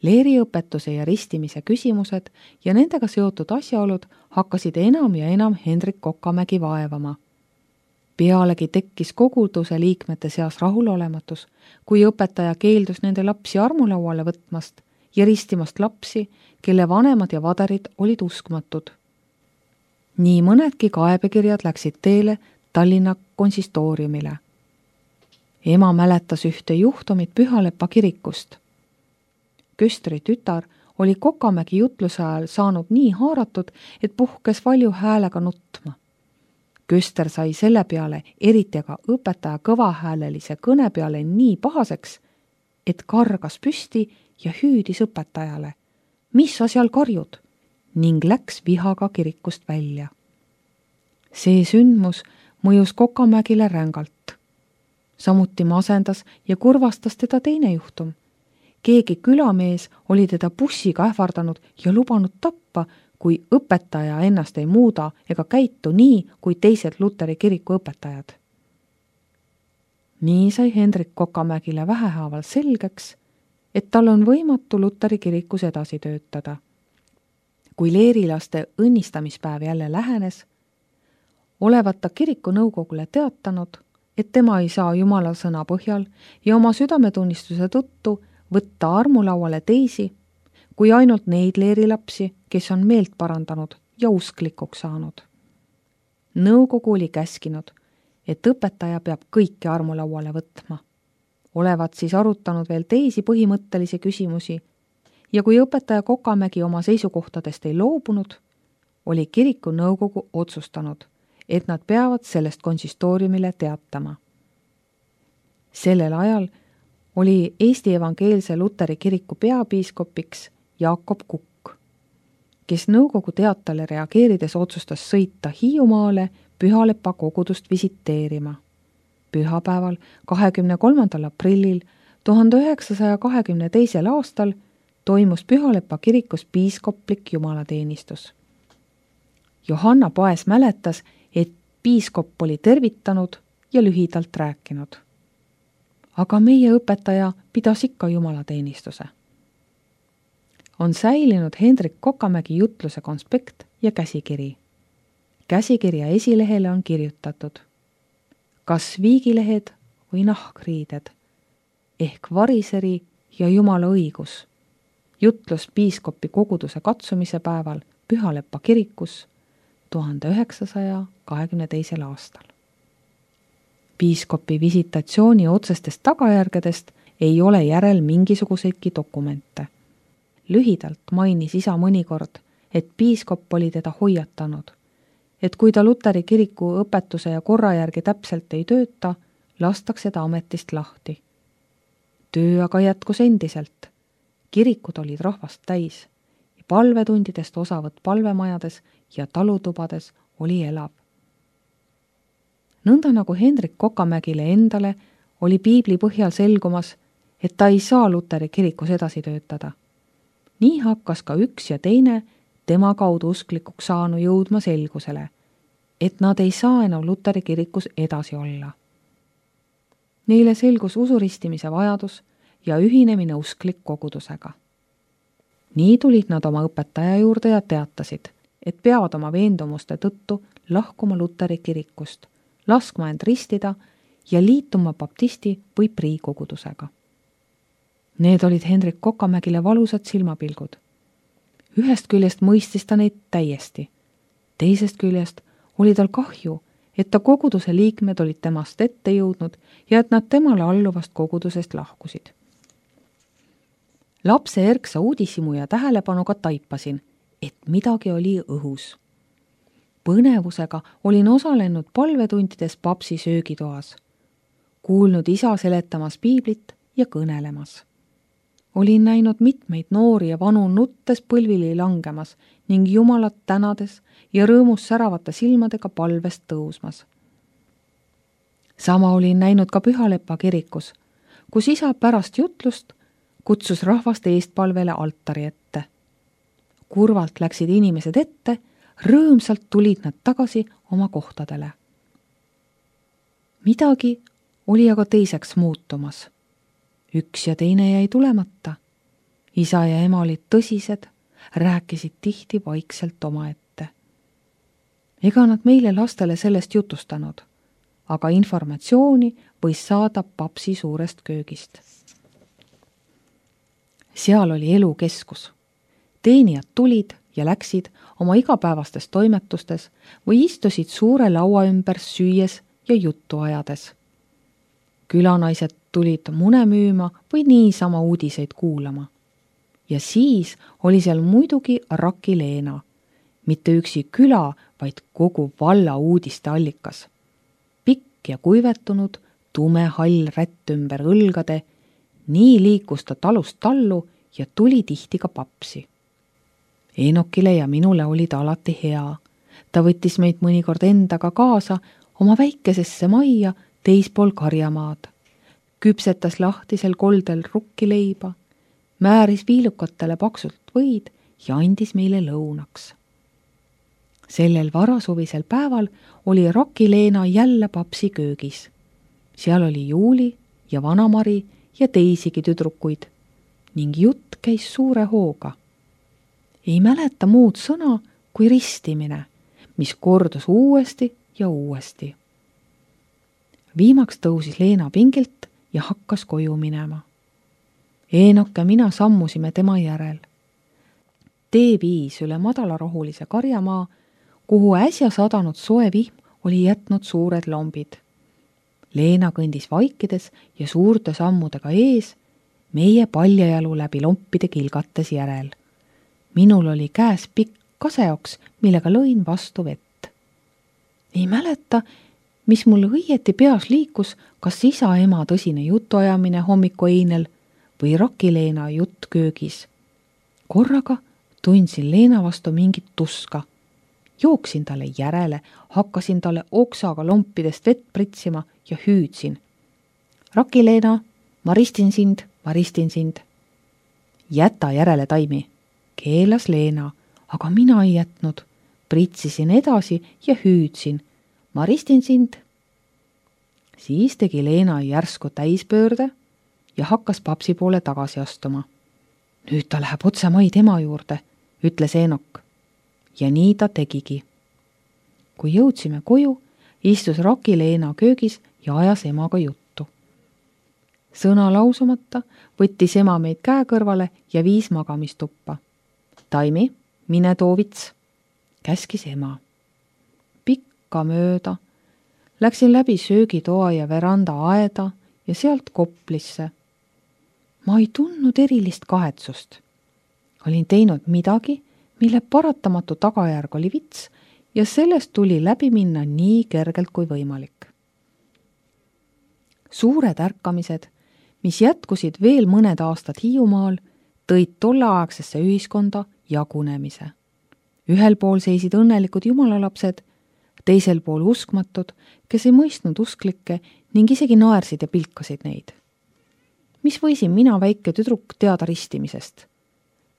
Leeriõpetuse ja ristimise küsimused ja nendega seotud asjaolud hakkasid enam ja enam Hendrik Kokamägi vaevama. Pealegi tekkis koguduse liikmete seas rahulolematus, kui õpetaja keeldus nende lapsi armulauale võtmast ja ristimast lapsi, kelle vanemad ja vaderid olid uskmatud. Nii mõnedki kaebekirjad läksid teele Tallinna konsistooriumile. Ema mäletas ühte juhtumit Pühalepa kirikust. Köstri tütar oli Kokamägi jutluse ajal saanud nii haaratud, et puhkes valju häälega nutma. Köster sai selle peale, eriti aga õpetaja kõvahäälelise kõne peale nii pahaseks, et kargas püsti ja hüüdis õpetajale, mis sa seal karjud, ning läks vihaga kirikust välja. See sündmus mõjus Kokamägile rängalt. Samuti masendas ja kurvastas teda teine juhtum. Keegi külamees oli teda bussiga ähvardanud ja lubanud tappa, kui õpetaja ennast ei muuda ega käitu nii, kui teised Luteri kiriku õpetajad. Nii sai Hendrik Kokamägile vähehaaval selgeks, et tal on võimatu Luteri kirikus edasi töötada. Kui leerilaste õnnistamispäev jälle lähenes, olevat ta kiriku nõukogule teatanud, et tema ei saa Jumala sõna põhjal ja oma südametunnistuse tõttu võtta armulauale teisi, kui ainult neid leerilapsi, kes on meelt parandanud ja usklikuks saanud. Nõukogu oli käskinud, et õpetaja peab kõike armulauale võtma. Olevat siis arutanud veel teisi põhimõttelisi küsimusi ja kui õpetaja Kokamägi oma seisukohtadest ei loobunud, oli kiriku nõukogu otsustanud, et nad peavad sellest konsistooriumile teatama. Sellel ajal oli Eesti evangeelse Luteri kiriku peapiiskopiks Jakob Kukk, kes nõukogu teatale reageerides otsustas sõita Hiiumaale Pühalepa kogudust visiteerima. Pühapäeval 23. aprillil 1922. aastal toimus Pühalepa kirikus piiskoplik jumalateenistus. Johanna Paes mäletas, et piiskop oli tervitanud ja lühidalt rääkinud. Aga meie õpetaja pidas ikka jumalateenistuse. On säilinud Hendrik Kokamägi jutluse konspekt ja käsikiri. Käsikirja esilehele on kirjutatud: kas viigilehed või nahkriided, ehk variseri ja Jumala õigus. Jutlus piiskopi koguduse katsumise päeval Pühalepa kirikus 1922. aastal. Piiskopi visitatsiooni otsestest tagajärgedest ei ole järel mingisuguseidki dokumente. Lühidalt mainis isa mõnikord, et piiskop oli teda hoiatanud, et kui ta Luteri kiriku õpetuse ja korra järgi täpselt ei tööta, lastakse ta ametist lahti. Töö aga jätkus endiselt. Kirikud olid rahvast täis ja palvetundidest osavõtt palvemajades ja talutubades oli elav. Nõnda nagu Hendrik Kokamägile endale oli piibli põhjal selgumas, et ta ei saa Luteri kirikus edasi töötada. Nii hakkas ka üks ja teine tema kaudu usklikuks saanu jõudma selgusele, et nad ei saa enam Luteri kirikus edasi olla. Neile selgus usuristimise vajadus ja ühinemine usklik kogudusega. Nii tulid nad oma õpetaja juurde ja teatasid, et peavad oma veendumuste tõttu lahkuma Luteri kirikust, laskma end ristida ja liituma baptisti või priikogudusega. Need olid Hendrik Kokamägile valusad silmapilgud. Ühest küljest mõistis ta neid täiesti. Teisest küljest oli tal kahju, et ta koguduse liikmed olid temast ette jõudnud ja et nad temale alluvast kogudusest lahkusid. Lapse erksa uudishimu ja tähelepanuga taipasin, et midagi oli õhus. Põnevusega olin osalenud palvetundides papsi söögitoas, kuulnud isa seletamas piiblit ja kõnelemas. Olin näinud mitmeid noori ja vanu nuttes põlvili langemas ning Jumalat tänades ja rõõmus säravate silmadega palvest tõusmas. Sama olin näinud ka Pühalepa kirikus, kus isa pärast jutlust kutsus rahvast eestpalvele altari ette. Kurvalt läksid inimesed ette, rõõmsalt tulid nad tagasi oma kohtadele. Midagi oli aga teiseks muutumas. Üks ja teine jäi tulemata. Isa ja ema olid tõsised, rääkisid tihti vaikselt omaette. Ega nad meile lastele sellest jutustanud, aga informatsiooni võis saada papsi suurest köögist. Seal oli elukeskus. Teenijad tulid ja läksid oma igapäevastes toimetustes või istusid suure laua ümber süües ja juttu ajades. Külanaised tulid mune müüma või niisama uudiseid kuulama. Ja siis oli seal muidugi Raki Leena, mitte üksi küla, vaid kogu valla uudiste allikas. Pikk ja kuivetunud, tume hall rätt ümber õlgade, nii liikus ta talust tallu ja tuli tihti ka papsi. Eenokile ja minule oli ta alati hea. Ta võttis meid mõnikord endaga kaasa oma väikesesse majja teispool karjamaad. Küpsetas lahtisel koldel rukkileiba, määris viilukatele paksult võid ja andis meile lõunaks. Sellel varasuvisel päeval oli Raki Leena jälle papsi köögis. Seal oli Juuli ja Vanamari ja teisigi tüdrukuid ning jutt käis suure hooga. Ei mäleta muud sõna kui ristimine, mis kordus uuesti ja uuesti. Viimaks tõusis Leena pingilt ja hakkas koju minema. Eenok ja mina sammusime tema järel. Tee viis üle madalarohulise karjamaa, kuhu äsja sadanud soe vihm oli jätnud suured lombid. Leena kõndis vaikides ja suurte sammudega ees, meie paljajalu läbi lompide kilgates järel. Minul oli käes pikk kaseoks, millega lõin vastu vett. Ei mäleta, mis mul õieti peas liikus, kas isa-ema tõsine jutuajamine hommiku einel või Raki Leena jutt köögis. Korraga tundsin Leena vastu mingit tuska. Jooksin talle järele, hakkasin talle oksaga lompidest vett pritsima ja hüüdsin. Raki Leena, ma ristin sind. Jäta järele, taimi, keelas Leena, aga mina ei jätnud. Pritsisin edasi ja hüüdsin. Ma ristin sind. Siis tegi Leena järsku täispöörde ja hakkas papsi poole tagasi astuma. Nüüd ta läheb otse maid ema juurde, ütles Eenok. Ja nii ta tegigi. Kui jõudsime koju, istus Raki Leena köögis ja ajas emaga juttu. Sõna lausumata võttis ema meid käe kõrvale ja viis magamistuppa. Taimi, mine too vits, käskis ema. Pikka mööda läksin läbi söögitoa ja veranda aeda ja sealt koplisse. Ma ei tundnud erilist kahetsust. Olin teinud midagi, mille paratamatu tagajärg oli vits ja sellest tuli läbi minna nii kergelt kui võimalik. Suured ärkamised, mis jätkusid veel mõned aastad Hiiumaal, tõid tolleaegsesse ühiskonda jagunemise. Ühel pool seisid õnnelikud jumalalapsed, teisel pool uskmatud, kes ei mõistnud usklikke ning isegi naersid ja pilkasid neid. Mis võisin mina väike tüdruk teada ristimisest?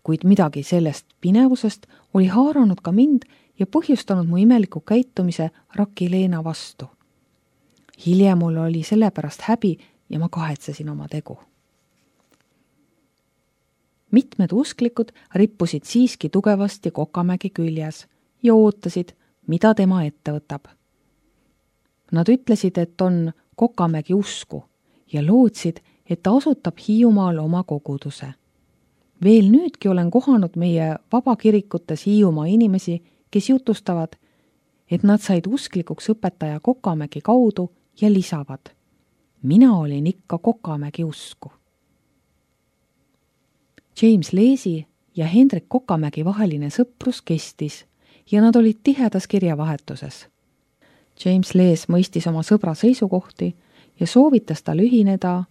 Kuid midagi sellest pinevusest oli haaranud ka mind ja põhjustanud mu imeliku käitumise Raki Leena vastu. Hiljem mul oli selle pärast häbi ja ma kahetsesin oma tegu. Mitmed usklikud rippusid siiski tugevasti Kokamägi küljes ja ootasid, mida tema ette võtab. Nad ütlesid, et on Kokamägi usku ja lootsid, et ta asutab Hiiumaal oma koguduse. Veel nüüdki olen kohanud meie vabakirikutes Hiiumaa inimesi, kes jutustavad, et nad said usklikuks õpetaja Kokamägi kaudu ja lisavad. Mina olin ikka Kokamägi usku. James Leesi ja Hendrik Kokamägi vaheline sõprus kestis ja nad olid tihedas kirjavahetuses. James Lees mõistis oma sõbra seisukohti ja soovitas tal ühineda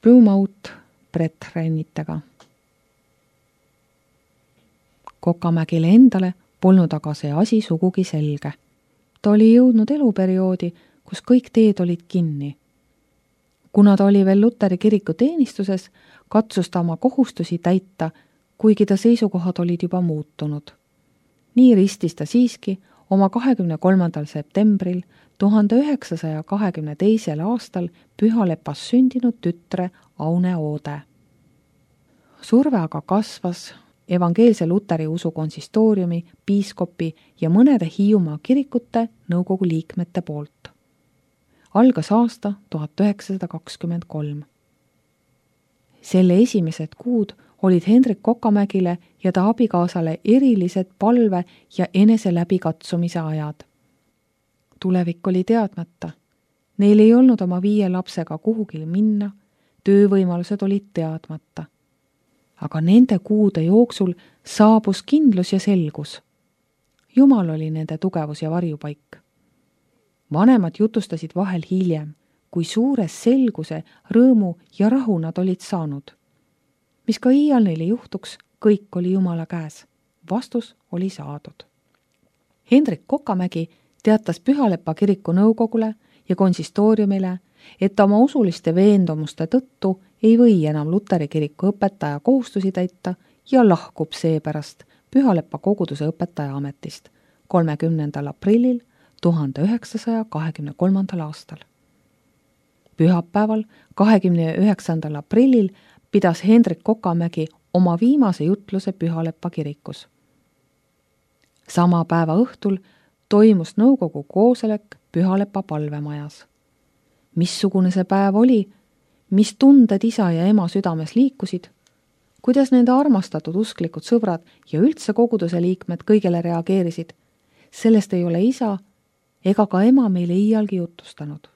Plymouth Brethren-itega. Kokamägile endale polnud aga see asi sugugi selge. Ta oli jõudnud eluperioodi, kus kõik teed olid kinni. Kuna ta oli veel Luteri kiriku teenistuses, katsus ta oma kohustusi täita, kuigi ta seisukohad olid juba muutunud. Nii ristis ta siiski oma 23. septembril 1922. aastal Pühalepas sündinud tütre Aune Oode. surve aga kasvas evangeelse luteri usu konsistooriumi, piiskopi ja mõnede Hiiumaa kirikute nõukogu liikmete poolt. Algas aasta 1923. Selle esimesed kuud olid Hendrik Kokamägile ja ta abikaasale erilised palve ja enese läbikatsumise ajad. Tulevik oli teadmata. Neil ei olnud oma 5 lapsega kuhugil minna, töövõimalused olid teadmata. Aga nende kuude jooksul saabus kindlus ja selgus. Jumal oli nende tugevus ja varjupaik. Vanemad jutustasid vahel hiljem, kui suures selguse, rõõmu ja rahu nad olid saanud. Mis ka iial neile juhtuks, kõik oli Jumala käes. Vastus oli saadud. Hendrik Kokamägi teatas Pühalepa kiriku nõukogule ja konsistooriumile, et oma usuliste veendumuste tõttu ei või enam Luteri kiriku õpetaja kohustusi täita ja lahkub seepärast Pühalepa koguduse õpetaja ametist 30. aprillil 1923. aastal. Pühapäeval 29. aprillil pidas Hendrik Kokamägi oma viimase jutluse Pühalepa kirikus. Sama päeva õhtul toimus nõukogu koosolek Pühalepa palvemajas. Missugune see päev oli, mis tunded isa ja ema südames liikusid, kuidas nende armastatud usklikud sõbrad ja üldse koguduse liikmed kõigele reageerisid, sellest ei ole isa ega ka ema meile iialgi jutustanud.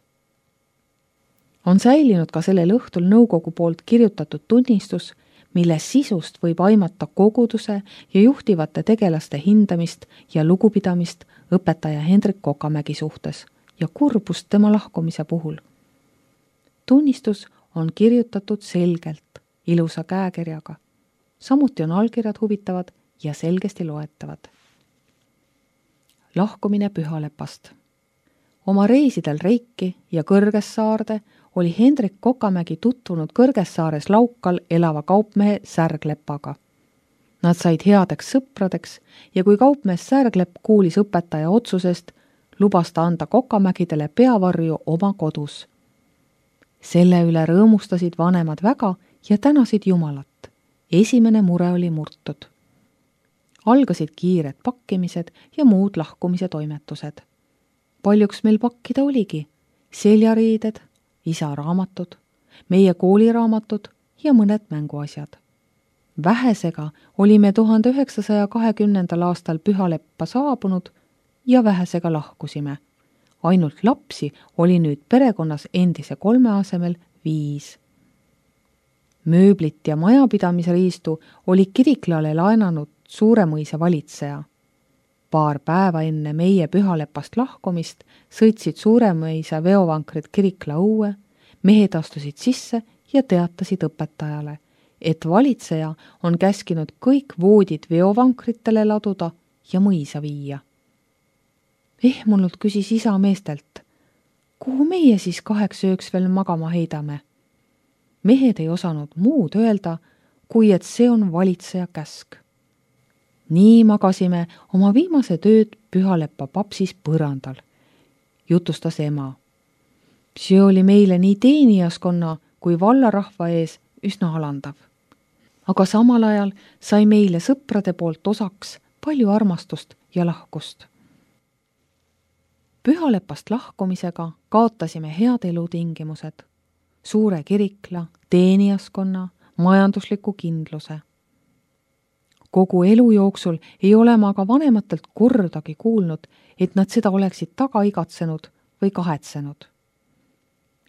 On säilinud ka sellel õhtul nõukogu poolt kirjutatud tunnistus, mille sisust võib aimata koguduse ja juhtivate tegelaste hindamist ja lugupidamist õpetaja Hendrik Kokamägi suhtes ja kurbust tema lahkumise puhul. Tunnistus on kirjutatud selgelt, ilusa käekirjaga. Samuti on allkirjad huvitavad ja selgesti loetavad. Lahkumine Pühalepast. Oma reisidel Reiki ja Kõrgessaarde oli Hendrik Kokamägi tutvunud Kõrgessaares Laukal elava kaupmehe Särglepaga. Nad said headeks sõpradeks ja kui kaupmees Särglepp kuulis õpetaja otsusest, lubas ta anda Kokamägidele peavarju oma kodus. Selle üle rõõmustasid vanemad väga ja tänasid Jumalat. Esimene mure oli murtud. Algasid kiired pakkimised ja muud lahkumise toimetused. Paljuks meil pakkida oligi seljariided, isa raamatud, meie kooliraamatud ja mõned mänguasjad. Vähesega olime 1920. aastal Pühaleppa saabunud ja vähesega lahkusime. Ainult lapsi oli nüüd perekonnas endise 3 asemel 5. Mööblit ja majapidamisriistu oli Kiriklale laenanud Suuremõisa valitseja. Paar päeva enne meie Pühalepast lahkumist sõitsid Suuremõisa veovankrid Kirikla õue, mehed astusid sisse ja teatasid õpetajale, et valitseja on käskinud kõik voodid veovankritele laduda ja mõisa viia. Ehmunult küsis isa meestelt, kuhu meie siis 8 ööks veel magama heidame? Mehed ei osanud muud öelda, kui et see on valitseja käsk. Nii magasime oma viimased ööd Pühaleppa papsis põrandal, jutustas ema. See oli meile nii teenijaskonna kui vallarahva ees üsna alandav. Aga samal ajal sai meile sõprade poolt osaks palju armastust ja lahkust. Pühalepast lahkumisega kaotasime head elutingimused, suure kirikla, teenijaskonna, majandusliku kindluse. Kogu elu jooksul ei ole ma aga vanematelt kordagi kuulnud, et nad seda oleksid taga igatsenud või kahetsenud.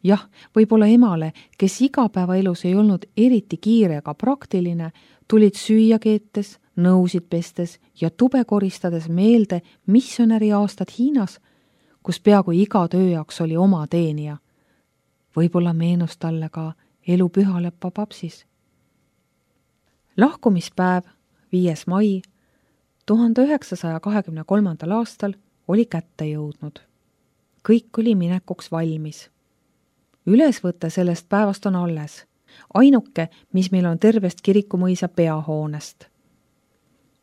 Jah, võib-olla emale, kes igapäevaelus ei olnud eriti kiire ega praktiline, tulid süüa keetes, nõusid pestes ja tube koristades meelde missionäri aastad Hiinas, kus peaaegu iga töö jaoks oli oma teenija. Võib-olla meenus talle ka elu Pühaleppa papsis. Lahkumispäev 5. mai 1923. aastal oli kätte jõudnud. Kõik oli minekuks valmis. Ülesvõte sellest päevast on alles. Ainuke, mis meil on tervest Kirikumõisa peahoonest.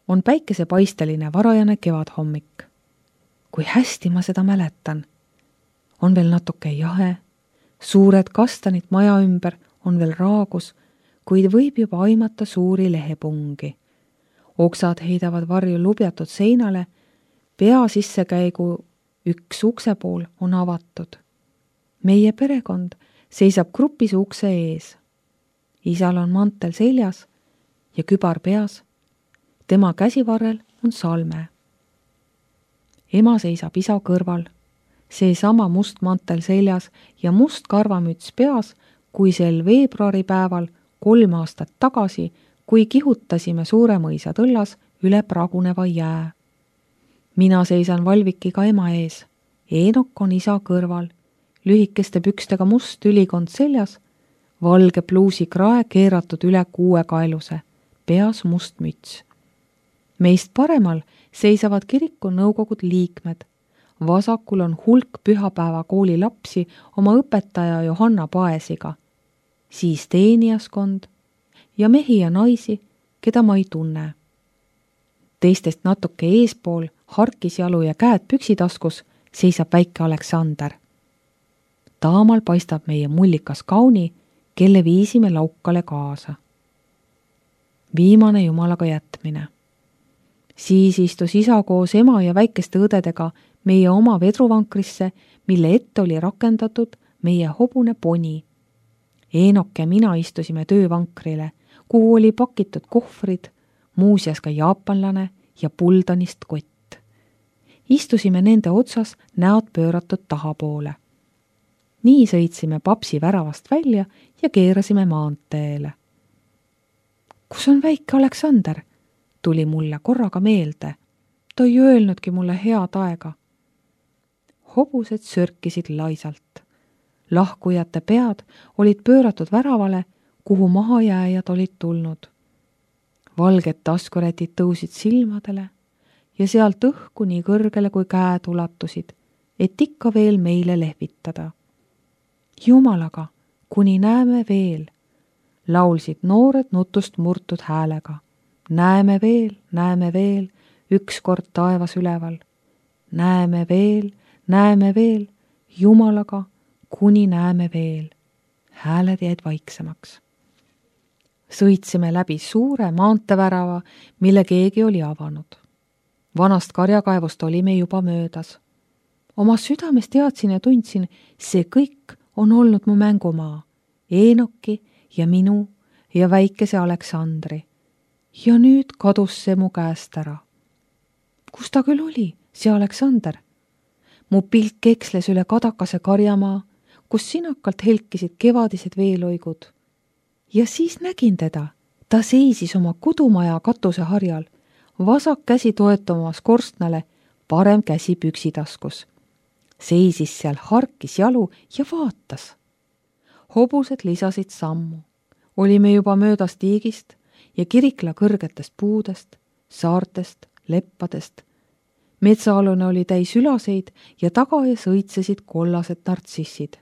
On päikesepaisteline varajane kevadhommik. Kui hästi ma seda mäletan. On veel natuke jahe, suured kastanid maja ümber on veel raagus, kuid võib juba aimata suuri lehepungi. Oksad heidavad varju lubjatud seinale, pea sissekäigu üks uksepool on avatud. Meie perekond seisab grupis ukse ees. Isal on mantel seljas ja kübar peas. Tema käsivarrel on salme. Ema seisab isa kõrval, seesama must mantel seljas ja must karvamüts peas, kui sel veebruaripäeval 3 aastat tagasi, kui kihutasime Suuremõisa tõllas üle praguneva jää. Mina seisan valvikiga ema ees, Eenok on isa kõrval, lühikeste pükstega must ülikond seljas, valge pluusi krae keeratud üle kuuekaeluse, peas must müts. Meist paremal seisavad kiriku nõukogud liikmed. Vasakul on hulk pühapäeva kooli lapsi oma õpetaja Johanna Paesiga, siis teenijaskond ja mehi ja naisi, keda ma ei tunne. Teistest natuke eespool, harkisjalu ja käed püksitaskus, seisab väike Aleksander. Taamal paistab meie mullikas kauni, kelle viisime laukale kaasa. Viimane jumalaga jätmine. Siis istus isa koos ema ja väikeste õdedega meie oma vedruvankrisse, mille ette oli rakendatud meie hobune poni. Eenok ja mina istusime töövankrile, kuhu oli pakitud kohvrid, muuseas ka jaapanlane ja puldanist kott. Istusime nende otsas näod pööratud tahapoole. Nii sõitsime papsi väravast välja ja keerasime maanteele. Kus on väike Aleksander? Tuli mulle korraga meelde. Ta ei öelnudki mulle head aega. Hobused sörkisid laisalt. Lahkujate pead olid pööratud väravale, kuhu mahajääjad olid tulnud. Valged taskurätid tõusid silmadele ja sealt õhku nii kõrgele kui käed ulatusid, et ikka veel meile lehvitada. Jumalaga, kuni näeme veel, laulsid noored nutust murtud häälega. Näeme veel, ükskord taevas üleval. Näeme veel, Jumalaga, kuni näeme veel. Hääled jäid vaiksemaks. Sõitsime läbi suure maantevärava, mille keegi oli avanud. Vanast karjakaevust olime juba möödas. Oma südames teadsin ja tundsin, see kõik on olnud mu mängumaa, Eenoki ja minu ja väikese Aleksandri. Ja nüüd kadus see mu käest ära. Kus ta küll oli, see Aleksander? Mu pilk eksles üle kadakase karjamaa, kus sinakalt helkisid kevadised veeloigud. Ja siis nägin teda. Ta seisis oma kodumaja katuseharjal, vasak käsi toetamas korstnale, parem käsi püksitaskus. Seisis seal harkis jalu ja vaatas. Hobused lisasid sammu. Olime juba möödas tiigist ja kirikla kõrgetest puudest, saartest, leppadest. Metsaalune oli täis ülaseid ja tagaees õitsesid kollased nartsissid.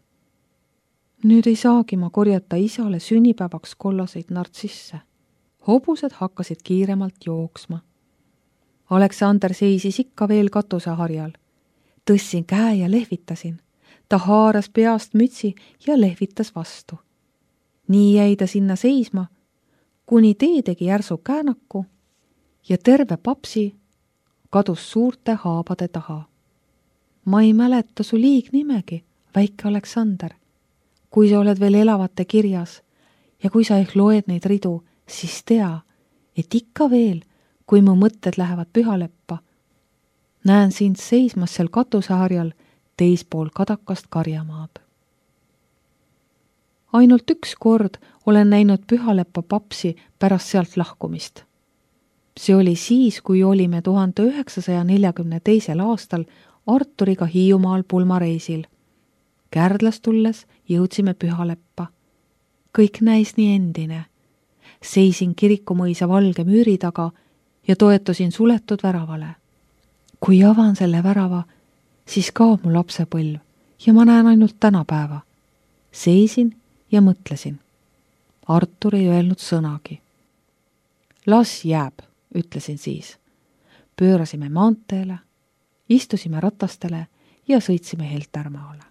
Nüüd ei saagi ma korjata isale sünnipäevaks kollaseid nartsisse. Hobused hakkasid kiiremalt jooksma. Aleksander seisis ikka veel katuseharjal. Tõssin käe ja lehvitasin. Ta haaras peast mütsi ja lehvitas vastu. Nii jäi ta sinna seisma, kuni tee tegi järsu käänaku ja terve papsi kadus suurte haabade taha. Ma ei mäleta su liignimegi, väike Aleksander. Kui sa oled veel elavate kirjas ja kui sa ehk loed neid ridu, siis tea, et ikka veel, kui mu mõtted lähevad pühaleppa, näen sind seismas seal katuseharjal teispool kadakast karjamaad. Ainult üks kord olen näinud pühaleppa papsi pärast sealt lahkumist. See oli siis, kui olime 1942. aastal Arturiga Hiiumaal pulmareisil. Kärdlast tulles jõudsime pühaleppa. Kõik näis nii endine. Seisin Kirikumõisa valge müüri taga ja toetusin suletud väravale. Kui avan selle värava, siis kaob mu lapsepõlv ja ma näen ainult tänapäeva. Seisin ja mõtlesin. Artur ei öelnud sõnagi. Las jääb, ütlesin siis. Pöörasime maanteele, istusime ratastele ja sõitsime Heltermaale.